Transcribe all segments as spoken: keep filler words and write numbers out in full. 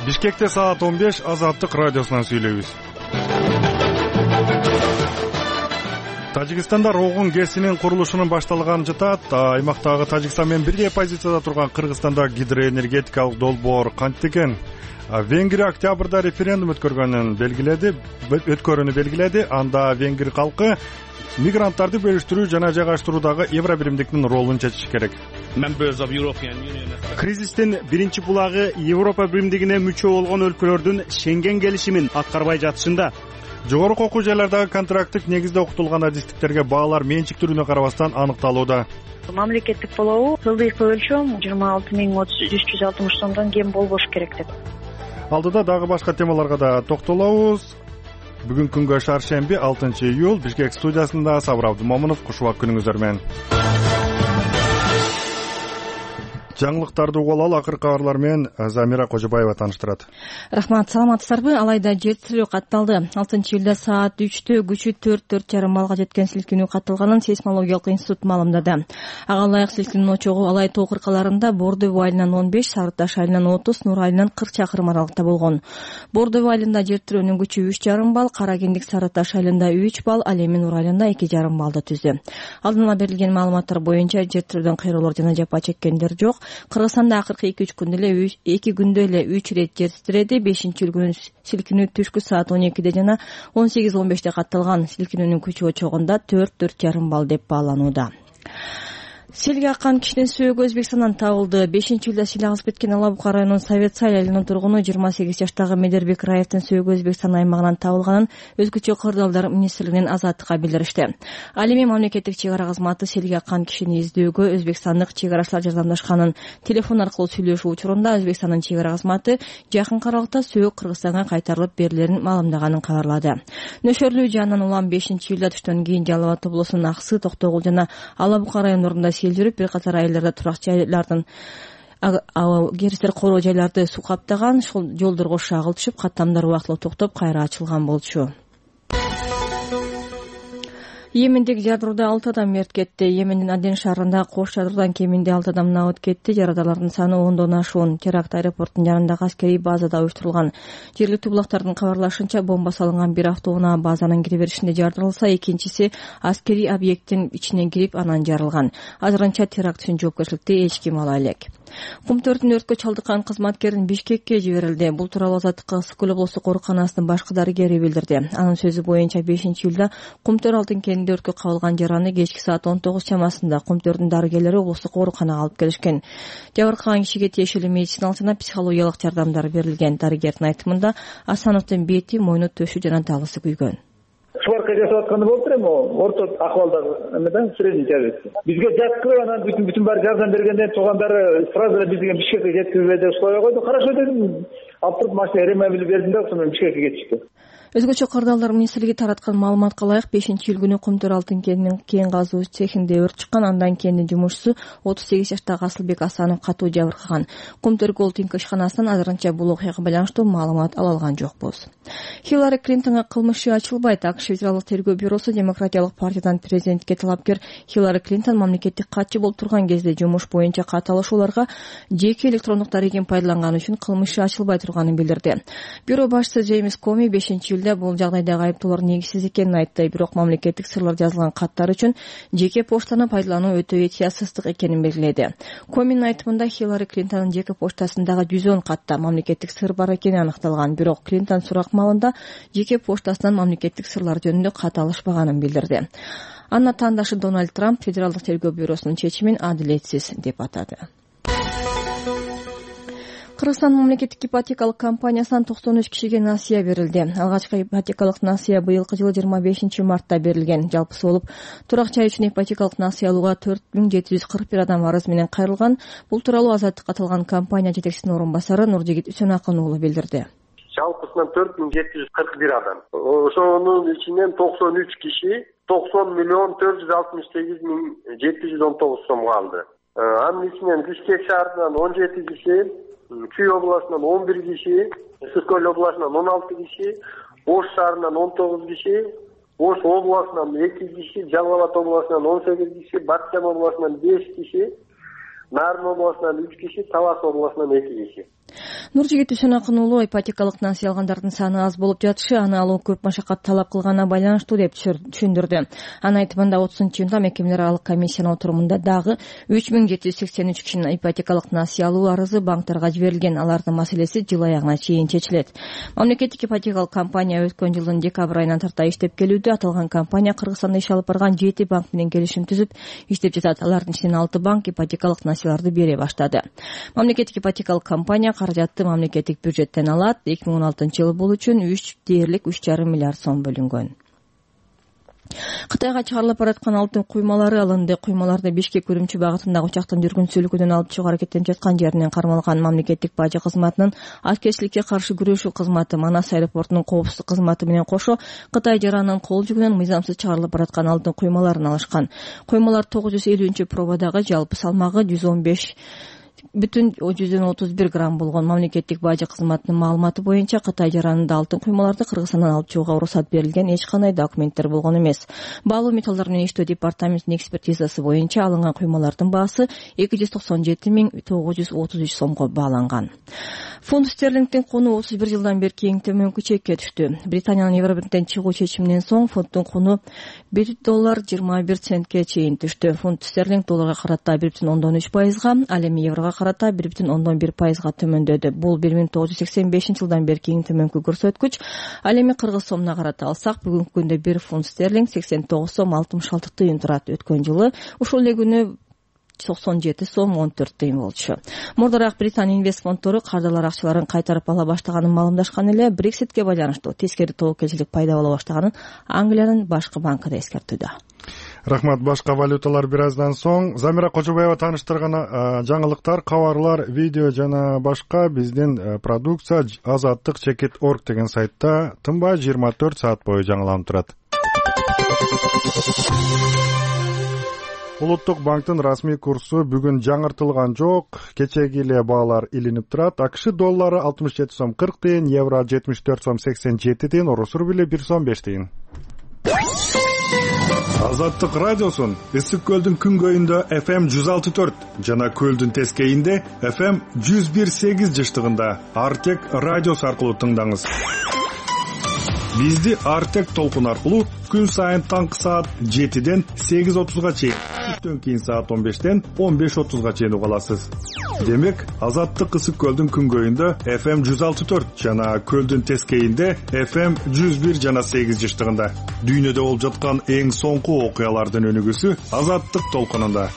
Бишкекте саат он беш, Азаттык радиосунан сүйлөйбүз. Тажикстанда Рогун КЭСинин курулушунун башталганы жатат. Аймактагы Тажикстан менен бирдей позицияда турган Кыргызстанда гидроэнергетикалык долбоор кантип экен? Венгрия октябрда референдум өткөргөнүн белгиледи, өткөрүүнү белгиледи. Анда венгр калкы мигранттарды бөлүштүрүү жана жайгаштыруудагы евро биримдиктин ролун чечиш керек. Кризистин биринчи булагы Европа биримдигине мүчө болгон өлкөлөрдүн Шенген келишимин аткарбай жатышында. Жогорку окуу жайлардагы контракттык негизде окутулган адистиктерге баалар менчик түрүнө карабастан аныкталууда. Мамлекеттик болобу жылдыйкы өлчөм жыйырма алты миң үч жүз алтымыш сомдон кем болбош керек деп. Алдыда дагы башка темаларга да токтолобуз. Бүгүн күнгө шаршемби, алтынчы июль, Бишкек студиясында Сабыр Абдымомунов. Кушубак күнүңүздөр менен. Жаңылыктарды угуп алалы, акыркы кабарлар менен Замира Кожобаева тааныштырат. Рахмат, саламатсыздарбы? Алайда жер титирөө катталды. алтынчы июлда саат үчтө күчү төрт төрт жарым балга жеткен силкинүү катталганын сейсмологиялык институт маалымдады. Ага ылайык силкинүүнүн очогу Алай тоо кыркаларында Бордово айылынан он беш, Сары Таш айылынан отуз, Нур айылынан кырк чакырым аралыкта болгон. Бордово айылында жер титирөөнүн күчү үч жарым балл, Кара Кендик Сары Таш айылында үч балл, ал эми Нур айылында эки жарым баллды түздү. Алдын ала берилген маалыматтар боюнча жер титирөөдөн кыйроолор жана жапа чеккендер жок. Кыргызстанда акыркы эки үч күндө эле эки күндө эле үч ирет жер титиреди. бешинчи үлгүнүн силкинүү түшкү саат он экиде жана он сегиз он беште катталган. Силкинүүнүн күчү очогунда төрт төрт жарым балл деп бааланууда. Селге аккан кишинин сөөгү Өзбекстандан табылды. бешинчи июлда сел агып кеткен Ала Бука районунун Советсай айылынын тургуну жыйырма сегиз жаштагы Медербек Раевдин сөөгү Өзбекстан аймагынан табылганын өзгөчө кырдаалдар министрлигинин Азаттыкка билдиришти. Ал эми мамлекеттик чек ара кызматы селге аккан кишини издөөгө өзбекстандык чек арачылар жардамдашканын телефон аркылуу сүйлөшүү учурунда Өзбекстандын чек ара кызматы жакынкы аралыкта сөөгү Кыргызстанга кайтарылып берилерин маалымдаганын кабарлады. Нөшөрлүү жаандан улам бешинчи июлда түштөн кийин Жалал Абад облусунун Аксы, Токтогул жана Ала Бука райондорунда сел жүрүп, бир катар айылдарда турак жайлардын керистер короо жайларды суу каптаган. Ушул жолдорго шагыл түшүп, каттамдар убактылуу токтоп, кайра ачылган болчу. Йемендеги жадырууда алты адам мерт кетти. Йемендин Аден шаарында кош жадыруudan кеминде алты адам набыт кетти. Жарадалардын саны ондон ашуун. Теракт аэропорттун жанындагы аскерий базада уюштурулган. Жергиликтүү булактардын кабарлашынча, бомба салынган бир автоунаа базанын кире беришинде жардырылса, экинчиси аскерий объекттин ичине кирип, анан жарылган. Азырынча теракт үчүн жоопкерчиликти эч ким ала элек. Кумтөрдүн өрткө чалдыккан кызматкерин Бишкекке жиберилди. Бул тууралуу Азаттыкка Ысык көл облустук ооруканасынын башкы дарыгери билдирди. Анын сөзү боюнча бешинчи июлда Кумтөр алтын кенинде өрткө кабылган жараны кечки саат он тогуз чамасында Кумтөрдүн дарыгерлери облустук ооруканага алып келишкен. Жабыркаган кишиге тиешелүү медициналык жана психологиялык жардамдар берилген. Дарыгердин айтымында Асановдун бети, мойну, төшү жана талысы күйгөн. Шварка жасап атканы болуптур эми, орто акыбалдагы эмеден средний тяжести. Бизге жаткырып анан бүтүн бүтүн баары жардам бергенден туугандары сразу эле бизге Бишкекке жеткирбей деп сурай койду. Хорошо дедим. Алып туруп машина ремобили бердим да, ошондон Бишкекке кетишти. Өзгөчө кырдаалдар министрлиги тараткан маалыматка ылайык бешинчи июль күнү Кумтөр алтын кенинин кен казуу цехинде өрт чыккан. Андан кийин жумушчусу отуз сегиз жаштагы Асылбек Асанов катуу жабыркаган. Кумтөр Голдинг ишканасынан азырынча бул окуяга байланыштуу маалымат ала алган жокпуз. Хиллари Клинтонго кылмыш ачылбайт. АКШ Федералдык тергөө бюросу Демократиялык партиядан президентке талапкер Хиллари Клинтон мамлекеттик катчы болуп турган кезде жумуш боюнча кат алышууларга жеке электрондук дарегин пайдаланганы үчүн кылмыш ачылбай турганын билдирди. Бюро башчысы Джеймс Коми бешинчи июлда бул жагдайдагы айыптоолор негизсиз экенин айтты. Бирок мамлекеттик сырлар жазылган каттар үчүн жеке почтаны пайдалануу өтө этиясыздык экенин белгиледи. Коминин айтымында Хиллари Клинтондун жеке почтасындагы жүз он катта мамлекеттик сыр бар экени аныкталган. Бирок Клинтон сурак маалында жеке почтасынан мамлекеттик сырлар жөнүндө кат алышпаганын билдирди. Анын атаандашы Дональд Трамп Федералдык тергөө бюросунун чечимин адилетсиз деп атады. Кыргызстан мамлекеттик ипотекалык компаниясынан токсон үч кишиге насыя берилди. Алгачкы ипотекалык насыя быйылкы жылы жыйырма бешинчи мартта берилген. Жалпысы болуп, турак жай үчүн ипотекалык насыя алууга төрт миң жети жүз кырк бир адам арыз менен кайрылган. Бул тууралуу Азаттыкка аталган компания жетекчисинин орун басары Нуржигит Үсөнакын уулу билдирди. Жалпысынан төрт миң жети жүз кырк бир адам. Ошонун ичинен токсон үч киши токсон миллион төрт жүз алтымыш сегиз миң жети жүз он тогуз сомго алды. Анын ичинен Бишкек шаарынан он жети киши, Чүй областынан он бир киши, Ысык көл областынан он алты киши, Ош шаарынан он тогуз киши, Ош областынан эки киши, Жалал Абад областынан он сегиз киши, Батчам областынан беш киши, Нарын областынан үч киши, Талас областынан эки киши. Нуржигит Үсөнакын уулу ипотекалык несие алгандардын саны аз болуп жатышы аны алуу көп машакат талап кылганына байланыштуу деп түшүндүрдү. Анын айтымында отузунчу июнда мекемелер аралык комиссиянын отурумунда дагы үч миң жети жүз сексен үч кишинин ипотекалык несие алуу арызы банктарга жиберилген. Алардын маселеси жыл аягына чейин чечилет. Мамлекеттик ипотекалык компания өткөн жылдын декабрь айынан тарта иштеп келүүдө. Аталган компания Кыргызстанда иш алып барган жети банк менен келишим түзүп иштеп жатат. Алардын ичинен алты банк ипотекалык несиелерди бере баштады. Мамлекеттик ипотекалык компания каражатты мамлекеттик бюджеттен алат. эки миң он алтынчы жылы бул үчүн үч дээрлик үч жарым миллиард сом бөлүнгөн. Кытайга чыгарылып бараткан алтын куймалары алынды. Куймаларды Бишкек Үрүмчү багытындагы учактын жүргүнчүлүгүнөн алып чыгуу аракеттенип жаткан жеринен кармалган. Мамлекеттик бажы кызматынын аткерчиликке каршы күрөшүү кызматы, Манас аэропортунун коопсуздук кызматы менен кошо Кытай жаранынын кол жүгүнөн мыйзамсыз чыгарылып бараткан алтын куймаларын алышкан. Куймалар тогуз жүз элүүнчү пробадагы, жалпы салмагы жүз он беш бүтүн жүздөн отуз бир грамм болгон. Мамлекеттик бажы кызматынын маалыматы боюнча Кытай жаранында алтын куймаларды Кыргызстандан алып чыгууга уруксат берилген эч кандай документтер болгон эмес. Баалуу металлдар менен иштөө департаментинин экспертизасы боюнча алынган куймалардын баасы эки жүз токсон жети миң тогуз жүз отуз үч сомго бааланган. Фунт стерлингдин куну отуз бир жылдан бери эң төмөнкү чекке түштү. Британиянын Евробирдиктен чыгуу чечиминен соң фунттун куну бир доллар жыйырма бир центке чейин түштү. Фунт стерлинг долларга карата бир бүтүн ондон үч пайызга, ал эми еврого карата бир бүтүн ондон бир пайызга төмөндөдү. Бул бир миң тогуз жүз сексен бешинчи жылдан бери эң төмөнкү көрсөткүч. Ал эми кыргыз сомуна карата алсак, бүгүнкү күндө бир фунт стерлинг сексен тогуз сом алтымыш алты тыйын турат. Өткөн жылы ушул эле күнү токсон жети сом он төрт тыйын болчу. Мурдараак Британ инвест фонддору кардарлар акчаларын кайтарып ала баштаганын маалымдашкан эле. Брекситке байланыштуу тескери тобокелчилик пайда боло баштаганын Англиянын башкы банкы да эскертүүдө. Рахмат. Башка валюталар бир аздан соң. Замира Кожобаева тааныштырган жаңылыктар, кабарлар, видео жана башка биздин продукция азаттык чекит точка орг деген сайтта тынбай жыйырма төрт саат бою жаңыланып турат. Улуттук банктын расмий курсу бүгүн жаңыртылган жок. Кечеги эле баалар илинип турат. АКШ доллары алтымыш жети сом кырк тыйын, евро жетимиш төрт сом сексен жети тыйын, орус рубли бир сом беш тыйын. Азаттык радиосун Ысык көлдүн күнгөйүндө эф эм жүз алты төрт жана көлдүн тескейинде эф эм жүз бир сегиз жыштыгында Артек радиосу аркылуу тыңдаңыз. Бизди Артек толкун аркылуу күн сайын таңкы саат жетиден сегиз отузга чейин, түштөн кийин саат он бештен он беш отузга чейин уга аласыз. Демек, Азаттык Ысык көлдүн күнгөйүндө эф эм жүз алты төрт жана көлдүн тескейинде эф эм жүз бир жана сегиз жыштыгында. Дүйнөдө болуп жаткан эң соңку окуялардын өнүгүүсү Азаттык толкунунда.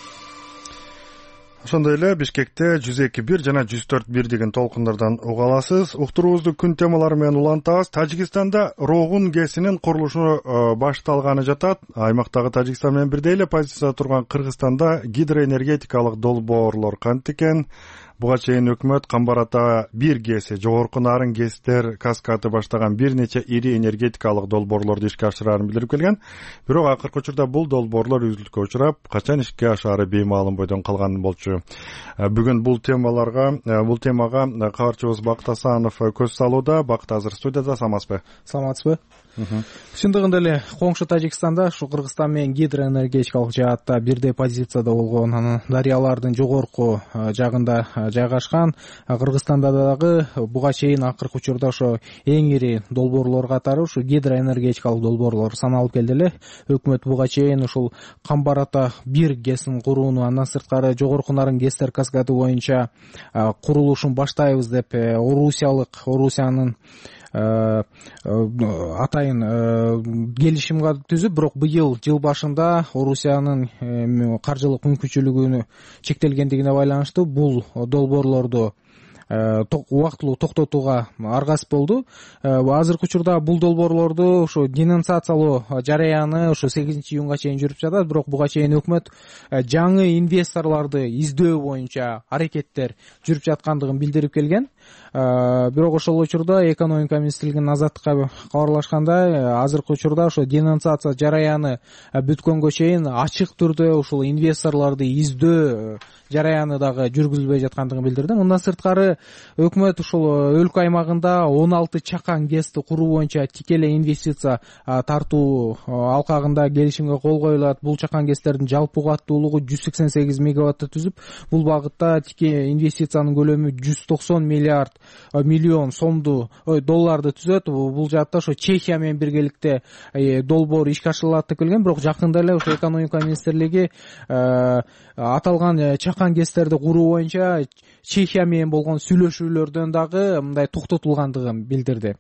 Ошондой эле Бишкекте жүз эки бир жана жүз төрт бир деген толкундардан уга аласыз. Уктуруубузду күн темалары менен улантабыз. Тажикстанда Рогун ГЭСинин курулушу башталганы жатат. Аймактагы Тажикстан менен бирдей эле позицияда турган Кыргызстанда гидроэнергетикалык долбоорлор кантип экен? Буга чейин өкмөт Камбар ата бир ГЭСи, жогорку нарын ГЭСтер каскады баштаган бир нече ири энергетикалык долбоорлорду ишке ашырарын билдирип келген. Бирок акыркы учурда бул долбоорлор үзүлүшкө учурап, качан ишке ашаары беймаалым бойдон калган болчу. Бүгүн бул темаларга, бул темага кабарчыбыз Бакыт Асанов көз салууда. Бакыт азыр студияда, саламатсызбы? Саламатсызбы? Чындыгында эле коңшу Тажикстанда ушу Кыргызстан менен гидроэнергетикалык жаатта бирдей позицияда болгон, анан дарыялардын жогорку жагында жайгашкан. Кыргызстанда дагы буга чейин акыркы учурда ошо эң ири долбоорлор катары ушу гидроэнергетикалык долбоорлор саналып келди эле. Өкмөт буга чейин ушул Камбар ата бир ГЭСин курууну, андан сырткары жогорку нарын ГЭСтер каскады боюнча курулушун баштайбыз деп Орусиялык, Орусиянын атайын келишимге түзүп, бирок быйыл жыл башында Орусиянын каржылык мүмкүнчүлүгүнө чектелгендигине байланыштуу бул долбоорлорду убактылуу токтотууга аргасыз болду. Азыркы учурда бул долбоорлорду ошо денонсациялоо жараяны ошо сегизинчи июнга чейин жүрүп жатат, бирок буга чейин өкмөт жаңы инвесторлорду издөө боюнча аракеттер жүрүп жаткандыгын билдирип келген. Бирок ошол учурда экономика министрлигинин Азаттыкка кабарлашкандай, азыркы учурда ошо денонсация жараяны бүткөнгө чейин ачык түрдө ушул инвесторлорду издөө жараяны дагы жүргүзүлбөй жаткандыгын билдирди. Мындан сырткары өкмөт ушул өлкө аймагында он алты чакан ГЭСти куруу боюнча тикелей инвестиция тартуу алкагында келишимге кол коюлат. Бул чакан ГЭСтердин жалпы кубаттуулугу жүз сексен сегиз мегаватты түзүп, бул багытта тике инвестициянын көлөмү жүз токсон миллиард миллиард миллион сомду ой долларды түзөт. Бул жаатта ошо Чехия менен биргеликте долбоор ишке ашырылат деп келген, бирок жакында эле ошо экономика министрлиги аталган чакан гэстерди куруу боюнча Чехия менен болгон сүйлөшүүлөрдөн дагы мындай токтотулгандыгын билдирди.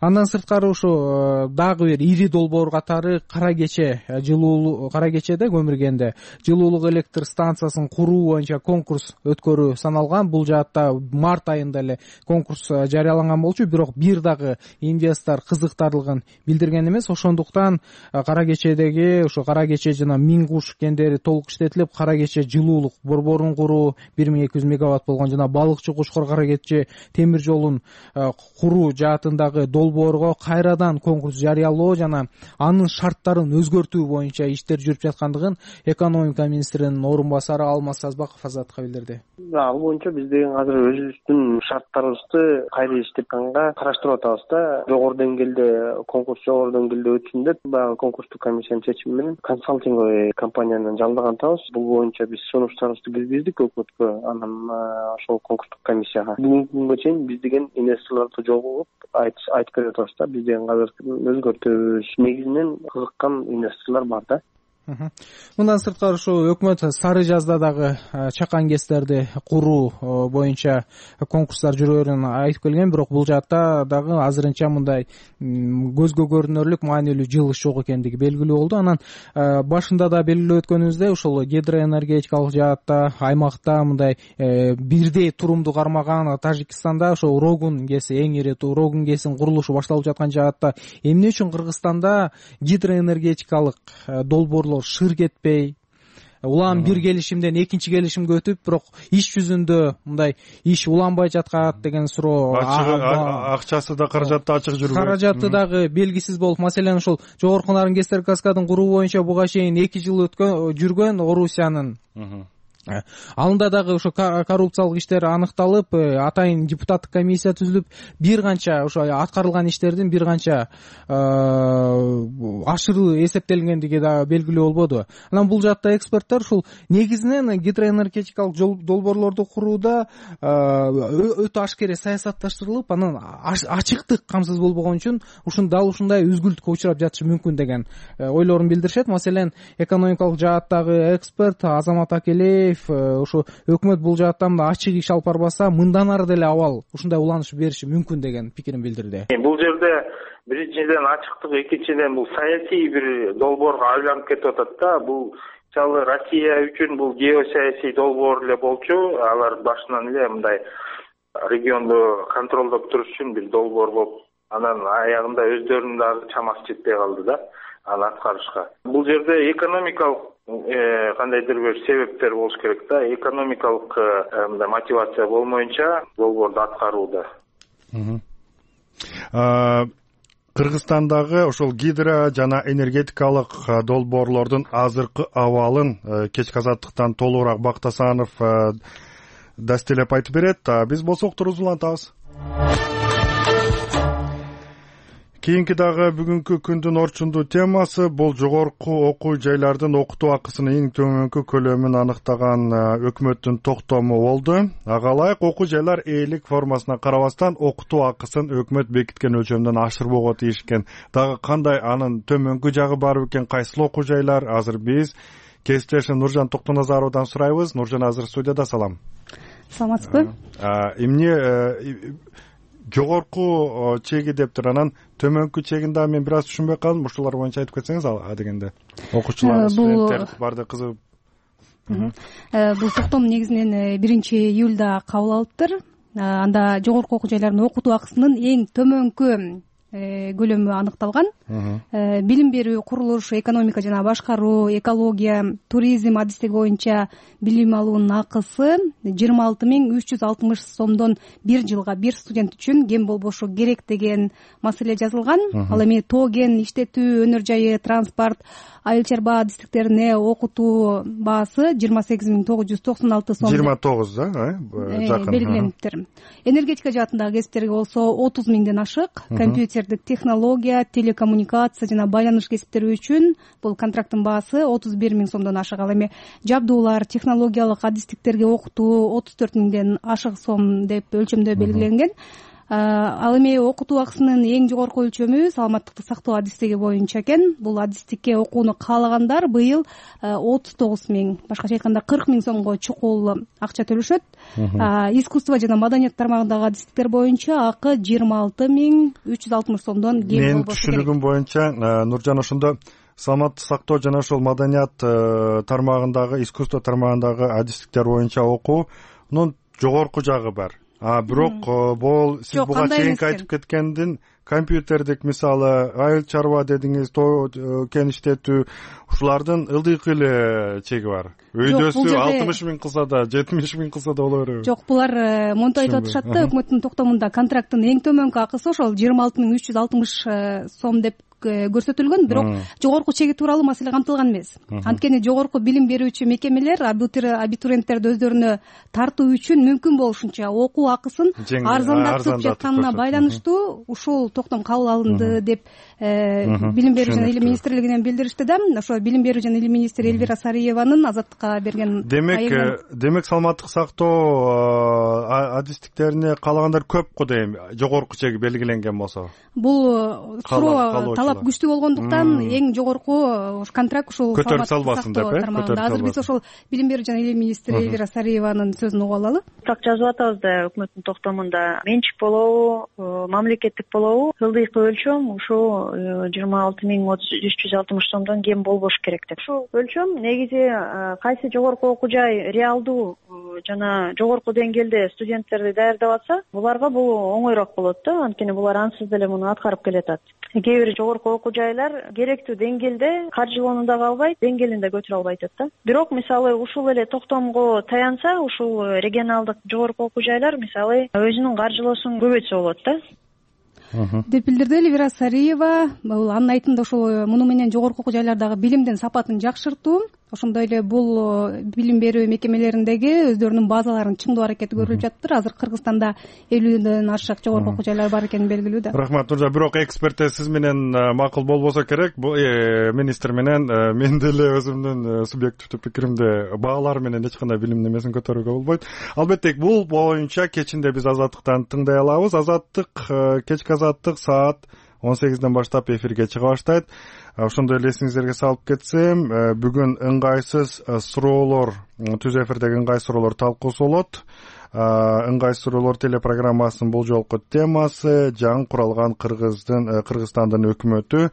Андан сырткары ошо дагы бир ири долбоор катары Кара Кече жылуулук Кара Кечеде көмүргенде жылуулук электр станциясын куруу боюнча конкурс өткөрүү саналган. Бул жаатта март айында эле конкурс жарыяланган болчу, бирок бир дагы инвестор кызыктарлыгын билдирген эмес. Ошондуктан Кара Кечедеги ошо Кара Кече жана Миң Куш кендери толук иштетилип, Кара Кече жылуулук борборун куруу бир миң эки жүз мегаватт болгон жана Балыкчы Кушкар Кара Кече темир жолун куруу жаатындагы долбоорго кайрадан конкурс жарыялоо жана анын шарттарын өзгөртүү боюнча иштер жүрүп жаткандыгын экономика министринин орун басары Алмаз Сазбаков Азатка билдирди. Ал боюнча биз деген азыр өзүбүздүн шарттарыбызды кайра иштепканга караштырып атабыз да. Жогору деңгээлде конкурс жогору деңгээлде өтсүн деп баягы конкурстук комиссиянын чечими менен консалтинговый компанияны жалдаган атабыз. Бул боюнча биз сунуштарыбызды киргиздик өкмөткө, анан ошол конкурстук комиссияга. Бүгүнкү күнгө чейин биз деген инвесторлорду жолугуп айтып берип атабыз да. Биз деген азыр өзгөртөбүз. Негизинен кызыккан инвесторлор бар да. Мындан сырткары ошо өкмөт Сары Жазда дагы чакан гэстерди куруу боюнча конкурстар жүрөөрүн айтып келген, бирок бул жаатта дагы азырынча мындай көзгө көрүнөрлүк маанилүү жылыш жок экендиги белгилүү болду. Анан башында да белгилеп өткөнүбүздөй ошол гидроэнергетикалык жаатта аймакта мындай бирдей турумду кармаган Тажикстанда ошо Урогун гэси эң ири Урогун гэсинин курулушу башталып жаткан жаатта эмне үчүн Кыргызстанда гидроэнергетикалык долбоорлор шыр кетпей, улам бир келишимден экинчи келишимге өтүп, бирок иш жүзүндө мындай иш уланбай жаткат деген суроо. Акчасы да каражаты ачык жүрбөйт. Каражаты дагы белгисиз болуп, маселен ошол жогорку нарын гэстер каскадын куруу боюнча буга чейин эки жыл өткөн жүргөн Орусиянын алында дагы ошо коррупциялык иштер аныкталып, атайын депутаттык комиссия түзүлүп, бир канча ошо аткарылган иштердин бир канча ашыруу эсептелгендиги да белгилүү болбоду. Анан бул жакта эксперттер ушул негизинен гидроэнергетикалык долбоорлорду курууда өтө ашкере саясатташтырылып, анан ачыктык камсыз болбогон үчүн ушун дал ушундай үзгүлтүккө учурап жатышы мүмкүн деген ойлорун билдиришет. Маселен, экономикалык жааттагы эксперт Азамат Акелеев ошо өкмөт бул жааттан ачык иш алып барбаса, мындан ары деле абал ушундай уланыш бериши мүмкүн деген пикирин билдирди. Бул жерде биринчиден ачыктык, экинчиден бул саясий бир долбоорго айланып кетип атат да. Бул мисалы Россия үчүн бул геосаясий долбоор эле болчу. Алар башынан эле мындай регионду контролдоп туруш үчүн бир долбоор болуп, анан аягында өздөрүнүн дагы чамасы жетпей калды да аны аткарышка. Бул жерде экономикалык кандайдыр бир себептер болуш керек да. Экономикалык мындай мотивация болмоюнча долбоорду аткарууда. Кыргызстандагы ошол гидро жана энергетикалык долбоорлордун азыркы абалын кечки азаттыктан толугураак Бактасанов дастелеп айтып берет. Биз болсок туруп улантабыз. Кийинки дагы бүгүнкү күндүн орчундуу темасы бул жогорку окуу жайлардын окутуу акысынын эң төмөнкү көлөмүн аныктаган өкмөттүн токтому болду. Ага ылайык окуу жайлар ээлик формасына карабастан окутуу акысын өкмөт бекиткен өлчөмдөн ашырбоого тийиш экен. Дагы кандай анын төмөнкү жагы бар бекен, кайсыл окуу жайлар? Азыр биз кесиптешим Нуржан Токтоназаровдон сурайбыз. Нуржан азыр студияда. Салам. Саламатсызбы? Эмне жогорку чеги дептир, анан төмөнкү чегин дагы мен бир аз түшүнбөй калдым. Ушулар боюнча айтып кетсеңиз ал дегенде. Окуучулар, студенттер барды кызыгып. Бул токтом негизинен биринчи июлда кабыл алыптыр. Анда жогорку окуу жайлардын окутуу акысынын эң төмөнкү көлөмү аныкталган. Билим берүү, курулуш, экономика жана башкаруу, экология, туризм адистиги боюнча билим алуунун акысы жыйырма алты миң үч жүз алтымыш сомдон бир жылга бир студент үчүн кем болбошу керек деген маселе жазылган. Ал эми тоо кен иштетүү, өнөр жайы, транспорт, айыл чарба адистиктерине окутуу баасы жыйырма сегиз миң тогуз жүз токсон алты сом. жыйырма тогуз да, жакын белгилениптир. Энергетика жаатындагы кесиптерге болсо отуз миңден ашык, компьютер кесиптерди технология, телекоммуникация жана байланыш кесиптери үчүн бул контракттын баасы отуз бир миң сомдон ашык. Ал эми жабдуулар, технологиялык адистиктерге окутуу отуз төрт миңден ашык сом деп өлчөмдө белгиленген. Ал эми окутуу акысынын эң жогорку өлчөмү саламаттыкты сактоо адистиги боюнча экен. Бул адистикке окууну каалагандар быйыл отуз тогуз миң, башкача айтканда кырк миң сомго чукул акча төлөшөт. Искусство жана маданият тармагындагы адистиктер боюнча акы жыйырма алты миң үч жүз алтымыш сомдон кем болбошу керек. Менин түшүнүгүм боюнча Нуржан ошондо саламаттыкты сактоо жана ошол маданият тармагындагы, искусство тармагындагы адистиктер боюнча окуунун жогорку жагы бар. А бирок бул сиз буга чейинки айтып кеткендин компьютердик, мисалы айыл чарба дедиңиз, тоо кен иштетүү, ушулардын ылдыйкы эле чеги бар. Өйдөсү алтымыш миң кылса да, жетимиш миң кылса да боло береби? Жок, булар монтип айтып атышат да, өкмөттүн токтомунда контракттын эң төмөнкү акысы ошол жыйырма алты миң үч жүз алтымыш сом деп көрсөтүлгөн, бирок жогорку чеги тууралуу маселе камтылган эмес. Анткени жогорку билим берүүчү мекемелер абитуриенттерди өздөрүнө тартуу үчүн мүмкүн болушунча окуу акысын арзандатып жатканына байланыштуу ушул токтом кабыл алынды деп билим берүү жана илим министрлигинен билдиришти да. Ошо билим берүү жана илим министри Элвира Сариеванын Азаттыкка берген демек демек саламаттык сактоо адистиктерине каалагандар көп го дейм, жогорку чеги белгиленген болсо. Бул суроо талап күчтүү болгондуктан эң жогорку контракт ушул көтөрүп салбасын деп э. Азыр биз ошол билим берүү жана илим министри Элвира Сариеванын сөзүн угуп алалы. Так жазып атабыз да өкмөттүн токтомунда. Менчик болобу, мамлекеттик болобу, ылдыйкы өлчөм ушул жыйырма алты миң үч жүз алтымыш сомдон кем болбош керек деп. Ушул өлчөм негизи кайсы жогорку окуу жай реалдуу жана жогорку деңгээлде студенттерди даярдап атса, буларга бул оңойрок болот да, анткени булар ансыз деле муну аткарып келатат. Кээ бир жогорку окуу жайлар керектүү деңгээлде каржылоону да албайт, деңгээлин да көтөрө албайт да. Бирок мисалы ушул эле токтомго таянса, ушул регионалдык жогорку окуу жайлар мисалы өзүнүн каржылоосун көбөйтсө болот да деп билдирди Элвира Сариева. Бул анын айтымында ошол муну менен жогорку окуу жайлардагы билимдин сапатын жакшыртуу, ошондой эле бул билим берүү мекемелериндеги өздөрүнүн базаларын чыңдоо аракети көрүлүп жатыптыр. Азыр Кыргызстанда элүүдөн ашык жогорку окуу жайлар бар экени белгилүү да. Рахмат Нуржан. Бирок эксперт сиз менен макул болбосо керек, бул министр менен мен деле өзүмдүн субъективдүү пикиримде баалар менен эч кандай билим немесин көтөрүүгө болбойт. Албетте бул боюнча кечинде биз Азаттыктан тыңдай алабыз. Азаттык кечки Азаттык саат он сегизден баштап эфирге чыга баштайт. Ошондой эле эсиңиздерге салып кетсем, бүгүн ыңгайсыз суроолор, түз эфирдеги ыңгайсыз суроолор талкуусу болот. Ыңгайсыз суроолор телепрограммасынын бул жолку темасы жаңы куралган Кыргыздын Кыргызстандын өкмөтү,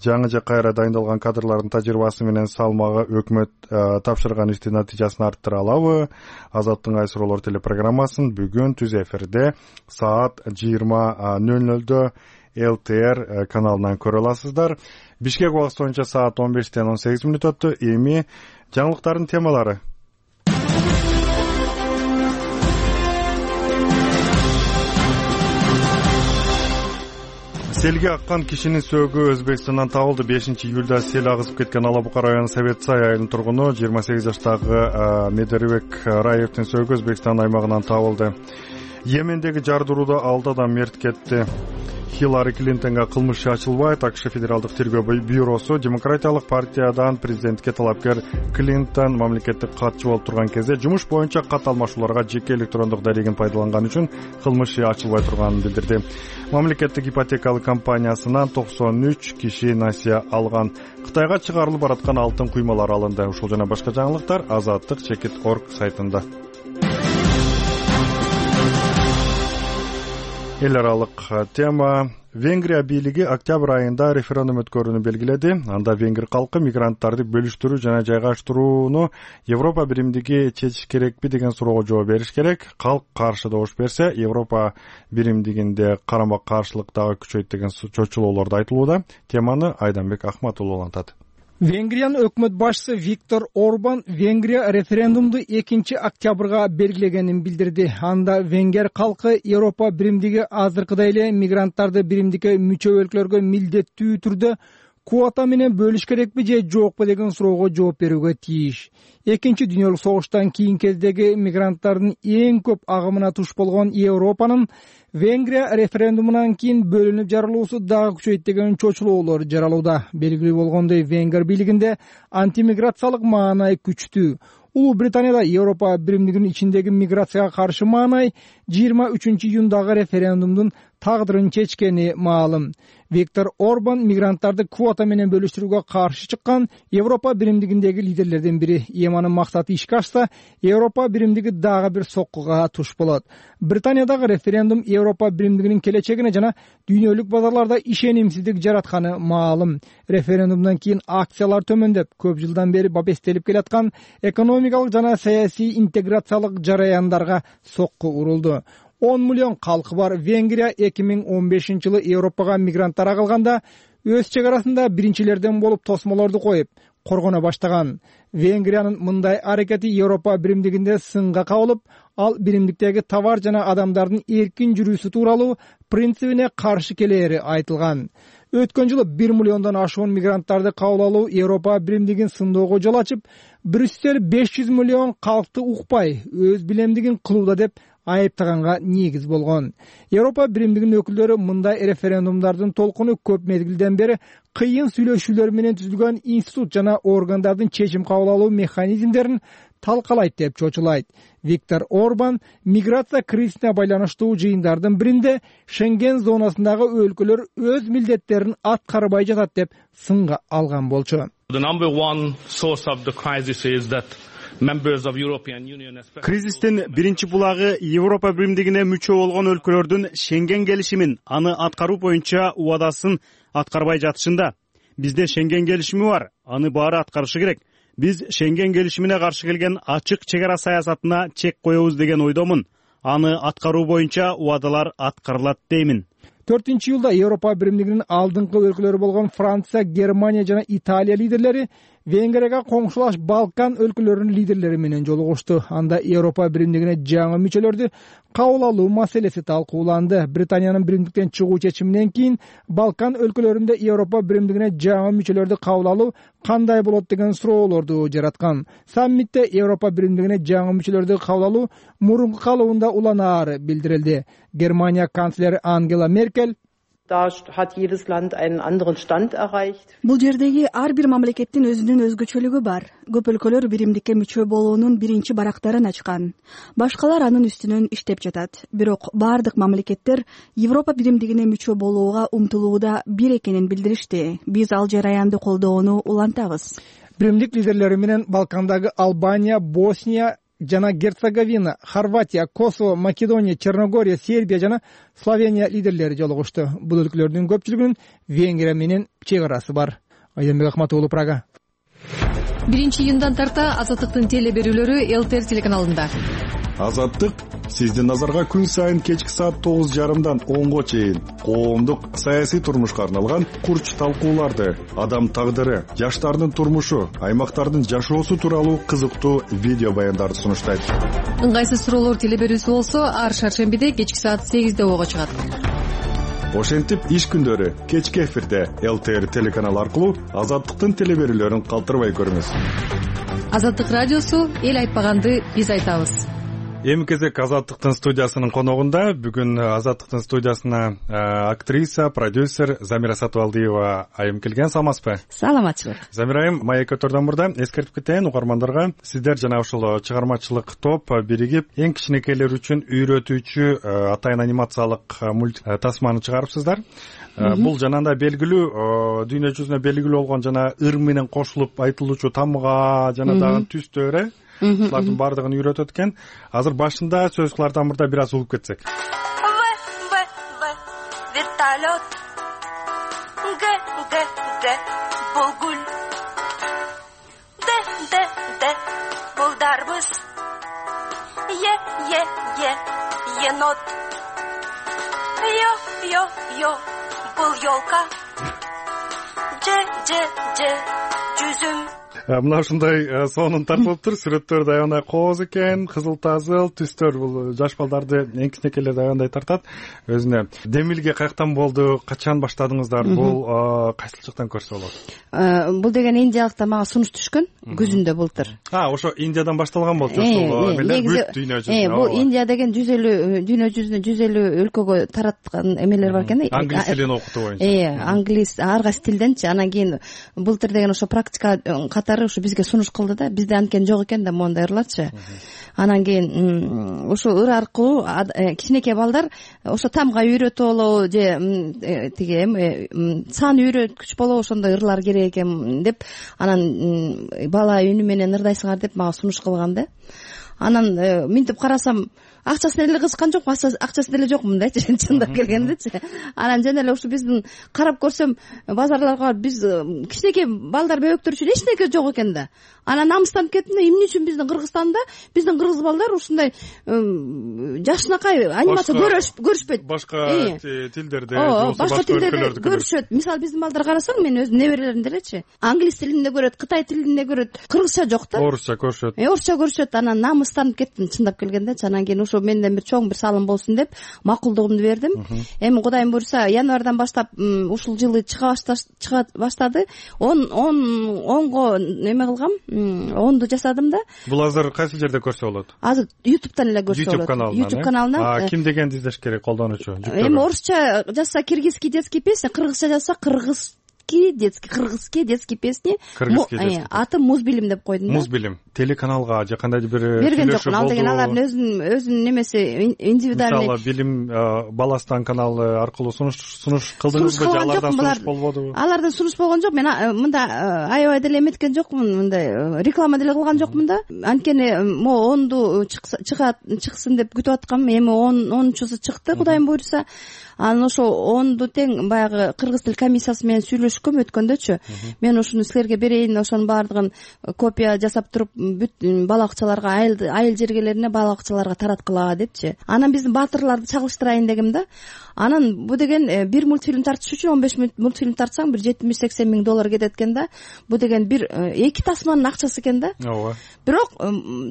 жаңы же кайра дайындалган кадрлардын тажрыйбасы менен салмагы өкмөт тапшырган иштин натыйжасын арттыра алабы? Азаттык ыңгайсыз суроолор телепрограммасын бүгүн түз эфирде саат жыйырма нөл нөлдө эл тэ эр каналынан көрө аласыздар. Бишкек убакыты боюнча саат он бештен он сегиз мүнөт өттү. Эми жаңылыктардын темалары. Селге аккан кишинин сөөгү Өзбекстандан табылды. бешинчи июлда сел агызып кеткен Ала Бука району Совет Сай айылынын тургуну жыйырма сегиз жаштагы Медербек Раевдин сөөгү Өзбекстан аймагынан табылды. Йемендеги жардырууда алты адам мерт кетти. Хиллари Клинтонго кылмыш ачылбайт. АКШ Федералдык тергөө бюросу Демократиялык партиядан президентке талапкер Клинтон мамлекеттик катчы болуп турган кезде жумуш боюнча кат алмашууларга жеке электрондук дарегин пайдаланган үчүн кылмыш ачылбай турганын билдирди. Мамлекеттик ипотекалык компаниясынан токсон үч киши насыя алган. Кытайга чыгарылып бараткан алтын куймалар алынды. Ушул жана башка жаңылыктар азаттык чекит точка орг сайтында. Эл аралык тема. Венгрия бийлиги октябрь айында референдум өткөрүүнү белгиледи. Анда венгер калкы мигранттарды бөлүштүрүү жана жайгаштырууну Европа биримдиги чечиш керекпи деген суроого жооп бериш керек. Калк каршы добуш берсе, Европа биримдигинде карама каршылык дагы күчөйт деген чочулоолорду айтылууда. Теманы Айданбек Ахматуллу улантат. Венгриянын өкмөт башчысы Виктор Орбан Венгрия референдумду экинчи октябрга белгилегенин билдирди. Анда венгер калкы Европа биримдиги азыркыдай эле мигранттарды биримдикке мүчө өлкөлөргө милдеттүү түрдө квота менен бөлүш керекпи же жокпу деген суроого жооп берүүгө тийиш. Экинчи дүйнөлүк согуштан кийинки кездеги мигранттардын эң көп агымына туш болгон Европанын Венгрия референдумунан кийин бөлүнүп жарылуусу дагы күчөйт деген чочулоолор жаралууда. Белгилүү болгондой, Венгер бийлигинде антимиграциялык маанай күчтүү. Улуу Британияда Европа биримдигинин ичиндеги миграцияга каршы маанай жыйырма үчүнчү июндагы референдумдун тагдырын чечкени маалым. Виктор Орбан мигранттарды квота менен бөлүштүрүүгө каршы чыккан Европа биримдигиндеги лидерлердин бири. Эми анын максаты ишке ашса, Европа биримдиги дагы бир соккуга туш болот. Британиядагы референдум Европа биримдигинин келечегине жана дүйнөлүк базарларда ишенимсиздик жаратканы маалым. Референдумдан кийин акциялар төмөндөп, көп жылдан бери бабестелип келаткан экономикалык жана саясий интеграциялык жараяндарга сокку урулду. он миллион калкы бар Венгрия эки миң он бешинчи жылы Европага мигранттар агылганда өз чек арасында биринчилерден болуп тосмолорду коюп коргоно баштаган. Венгриянын мындай аракети Европа биримдигинде сынга кабылып, ал биримдиктеги товар жана адамдардын эркин жүрүүсү тууралуу принцибине каршы келери айтылган. Өткөн жылы бир миллиондон ашуун мигранттарды кабыл алуу Европа биримдигин сындоого жол ачып, Брюссель беш жүз миллион калкты укпай, өз билемдигин кылууда деп айыптаганга негиз болгон. Европа биримдигинин өкүлдөрү мындай референдумдардын толкуну көп мезгилден бери кыйын сүйлөшүүлөр менен түзүлгөн институт жана органдардын чечим кабыл алуу механизмдерин талкалайт деп чочулайт. Виктор Орбан миграция кризисине байланыштуу жыйындардын биринде Шенген зонасындагы өлкөлөр өз милдеттерин аткарбай жатат деп сынга алган болчу. Кризистин биринчи булагы Европа биримдигине мүчө болгон өлкөлөрдүн Шенген келишимин, аны аткаруу боюнча убадасын аткарбай жатышында. Бизде Шенген келишими бар, аны баары аткарышы керек. Биз Шенген келишимине каршы келген ачык чек ара саясатына чек коебуз деген ойдомун. Аны аткаруу боюнча убадалар аткарылат деймин. төртүнчү июлда Европа биримдигинин алдыңкы өлкөлөрү болгон Франция, Германия жана Италия лидерлери Венгрияга коңшулаш Балкан өлкөлөрүнүн лидерлери менен жолугушту. Анда Европа биримдигине жаңы мүчөлөрдү кабыл алуу маселеси талкууланды. Британиянын биримдиктен чыгуу чечиминен кийин Балкан өлкөлөрүндө Европа биримдигине жаңы мүчөлөрдү кабыл алуу кандай болот деген суроолорду жараткан. Саммитте Европа биримдигине жаңы мүчөлөрдү кабыл алуу мурунку калыбында уланаары билдирилди. Германия канцлери Ангела Меркель Бул жердеги ар бир мамлекеттин өзүнүн өзгөчөлүгү бар. Көп өлкөлөр биримдикке мүчө болуунун биринчи барактарын ачкан. Башкалар анын үстүнөн иштеп жатат. Бирок бардык мамлекеттер Европа биримдигине мүчө болууга умтулууда бир экенин билдиришти. Биз ал жараянды колдоону улантабыз. Биримдик лидерлери менен Балкандагы Албания, Босния жана Герцеговина, Хорватия, Косово, Македония, Черногория, Сербия жана Словения лидерлери жолугушту. Бул өлкөлөрдүн көпчүлүгүнүн Венгрия менен чек арасы бар. Айданбек Акматуулу, Прага. биринчи июндан тарта Азаттыктын теле берүүлөрү ЛТР телеканалында. Азаттык сиздин назарга күн сайын кечки саат тогуз жарымдан онго чейин коомдук саясий турмушка арналган курч талкууларды, адам тагдыры, жаштардын турмушу, аймактардын жашоосу тууралуу кызыктуу видео баяндарды сунуштайт. Ыңгайсыз суроолор теле берүүсү болсо, ар шаршембиде кечки саат сегизде ого чыгат. Ошентип иш күндөрү кечки эфирде ЛТР телеканалы аркылуу Азаттыктын теле берүүлөрүн калтырбай көрүңүз. Азаттык радиосу эл айтпаганды биз айтабыз. Эми кезек Азаттыктын студиясынын коногунда. Бүгүн Азаттыктын студиясына актриса, продюсер Замира Сатыбалдиева айым келген. Саламатсызбы? Саламатчылык. Замира айым, маек өтөрдөн мурда эскертип кетейин угармандарга. Сиздер жана ушул чыгармачылык топ биригип эң кичинекейлер үчүн үйрөтүүчү атайын анимациялык мульт тасманы чыгарыпсыздар. Бул жанагындай белгилүү дүйнө жүзүнө белгилүү болгон жана ыр менен кошулуп айтылуучу тамга жана дагы түстөр булардын баардыгын үйрөтөт экен. Азыр башында сөз кылардан мурда бир аз угуп кетсек. Вертолет. Г г г булгул. Д д д булдарбыз. Е е е енот. Ё ё ё бул ёлка. Ж ж ж жүзүм. мына ушундай сонун тартылыптыр. Сүрөттөр аябай кооз экен, кызыл тазыл түстөр. Бул жаш балдарды эң кичинекейлерди аябай тартат өзүнө. Демилге каяктан болду, качан баштадыңыздар? Бул кайсыл жактан көрсө болот? Бул деген Индиялыкта мага сунуш түшкөн күзүндө былтыр. А, ошо Индиядан башталган болчу ушул эмелер бүт дүйнө жүзүнө. Бул Индия деген жүз элүү дүйнө жүзүнө жүз элүү өлкөгө тараткан эмелер бар экен. Англис тилин окутуу боюнча. Э, англис ар кайсы тилденчи. Анан кийин былтыр деген ошо практика катары ушу бизге сунуш кылды да. Бизде анткени жок экен да мондай ырларчы. Анан кийин ошо ыр аркылуу кичинекей балдар ошо тамга үйрөтүп алуу же тиги эми сан үйрөткүч болобу ошондой ырлар керек экен деп анан бала үнү менен ырдайсыңар деп мага сунуш кылган да. Анан минтип карасам акчасын деле кызыккан жокмун, акчасы деле жокмун да, чындап келгендечи. Анан жана эле ушу биздин карап көрсөм базарларга биз кичинекей балдар бөбөктөр үчүн эч нерсе жок экен да. Анан намыстанып кеттим да, эмне үчүн биздин Кыргызстанда биздин кыргыз балдар ушундай жакшынакай анимация көрүшпөйт. Башка тилдерде, башка тилдерде көрүшөт. Мисалы биздин балдар карасаң, мен өзүм неберелерим делечи, англис тилинде көрөт, кытай тилинде көрөт, кыргызча жок да. Орусча көрүшөт. Орусча көрүшөт. Анан намыстанып кеттим чындап келгендечи. Анан кийин ошо менден бир чоң бир салым болсун деп макулдугумду бердим. Эми Кудайым буйрса, январдан баштап ушул жылы чыга баштады. он онго неме кылгам, онду жасадым да. Бул азыр кайсы жерде көрсө болот? Азыр YouTube'дан эле көрсө болот. YouTube каналынан. А ким дегенди издеш керек колдонуучу? Эми орусча жазса киргизский детский песня, кыргызча жазса кыргыз детский, кыргызский детский песни. Аты Музбилим деп койдум. Музбилим. Телеканалга же кандайдыр бир берген жокмун. Ал деген алардын өзүнүн өзүнүн немеси индивидуальный. Мисалы билим Баластан каналы аркылуу сунуш сунуш кылдыңызбы же алардан сунуш болбодубу? Алардан сунуш болгон жок. Мен мында аябай деле эметкен жокмун, мындай реклама деле кылган жокмун да. Анткени могу онду чыгат чыксын деп күтүп аткам. Эми онунчусу чыкты, Кудайым буйрса. Анан ошо онду тең баягы кыргыз тил комиссиясы менен сүйлөшкөм өткөндөчү. Мен ушуну силерге берейин, ошонун баардыгын копия жасап туруп бүт бала бакчаларга, айыл жергелерине бала бакчаларга тараткыла депчи. Анан биздин баатырларды чагылыштырайын дегем да. Анан бу деген бир мультфильм тартыш үчүн он беш мультфильм тартсаң бир жетимиш сексен миң доллар кетет экен да. Бу деген бир эки тасманын акчасы экен да. Ооба. Бирок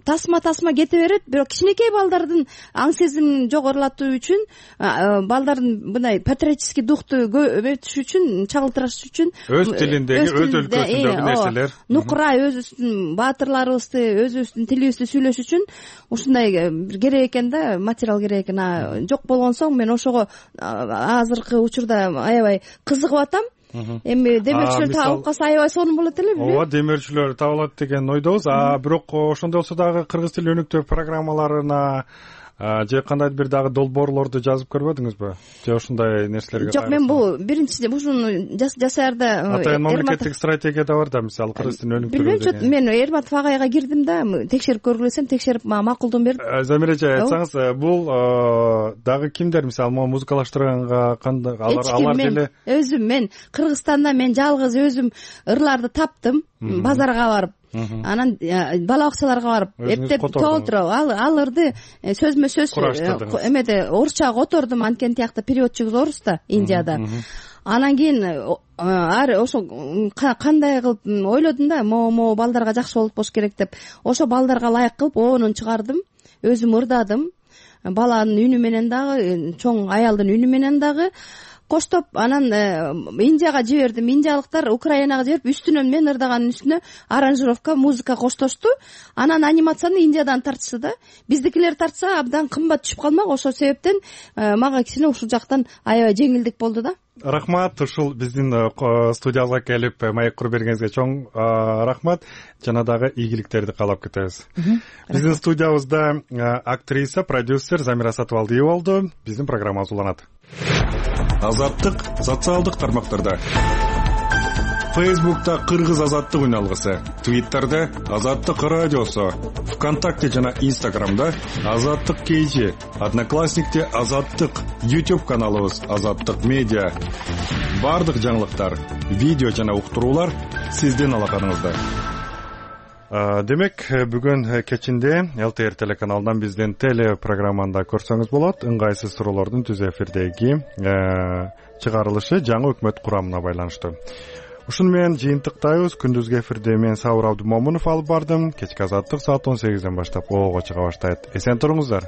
тасма тасма кете берет, бирок кичинекей балдардын аң сезимин жогорулатуу үчүн, балдардын мындай патриотический духту өтүш үчүн, чагылтырыш үчүн өз тилиндеги, өз өлкөсүндөгү нерселер, нукура өзүбүздүн баатырларыбызды, өзүбүздүн тилибизди сүйлөш үчүн ушундай керек экен да, материал керек экен. Жок болгон соң мен ошого азыркы учурда аябай кызыгып атам. Эми демөөрчүлөр табылып калса аябай сонун болот эле. Ооба, демөөрчүлөр табылат деген ойдобуз. А бирок ошондой болсо дагы кыргыз тил өнүктүү программаларына же кандайдыр бир дагы долбоорлорду жазып көрбөдүңүзбү? Же ушундай нерселерге? Жок, мен бул биринчи ушуну жасаарда атайын мамлекеттик стратегия да бар да, мисалы кыргыз тилин өнүктүрүү. Билбейм, мен Эрматов агайга кирдим да, текшерип көргүлөсөм, текшерип мага макулдугун берди. Замира эже, айтсаңыз, бул дагы кимдер, мисалы могу музыкалаштырганга кандай алар деле? Өзүм мен Кыргызстанда мен жалгыз өзүм ырларды таптым, базарга барып. Анан бала бакчаларга барып, эптеп толтуруп, ал ырды сөзмө сөз эмеде орусча котордум, анткени тиякта переводчугубуз орус да, Индияда. Анан кийин ар ошо кандай кылып ойлодум да, могу балдарга жакшы болуп болуш керек деп. Ошо балдарга ылайык кылып оонун чыгардым, өзүм ырдадым. Баланын үнү менен дагы, чоң аялдын үнү менен дагы коштоп, анан Индияга жибердим. Индиялыктар Украинага жиберип, үстүнөн мен ырдаганын үстүнө аранжировка, музыка коштошту. Анан анимацияны Индиядан тартышты да. Биздикилер тартса абдан кымбат түшүп калмак. Ошол себептен мага кичине ушул жактан аябай жеңилдик болду да. Рахмат, ушул биздин студиябызга келип маек куруп бергениңизге чоң рахмат. Жана дагы ийгиликтерди каалап кетебиз. Биздин студиябызда актриса, продюсер Замира Сатыбалдиева болду. Биздин программабыз уланат. Азаттык социалдык тармактарда. Facebook'ta Кыргыз азаттык үн алгысы, Twitter'да Азаттык радиосу, ВКонтакте жана Instagram'да Азаттык кейжи, Одноклассникте Азаттык, YouTube каналыбыз Азаттык медиа. Бардык жаңылыктар, видео жана уктуруулар сиздин алаканыңызда. Демек, бүгүн кечинде эл ти эр телеканалынан биздин теле программанда көрсөңүз болот. Ыңгайсыз суроолордун түз эфирдеги чыгарылышы жаңы өкмөт курамына байланыштуу. ушуну менен жыйынтыктайбыз. Күндүзгү эфирде мен Сабыр Абдымомунов алып бардым. Кечки азаттык саат он сегизден баштап оого чыга баштайт. Эсен туруңуздар.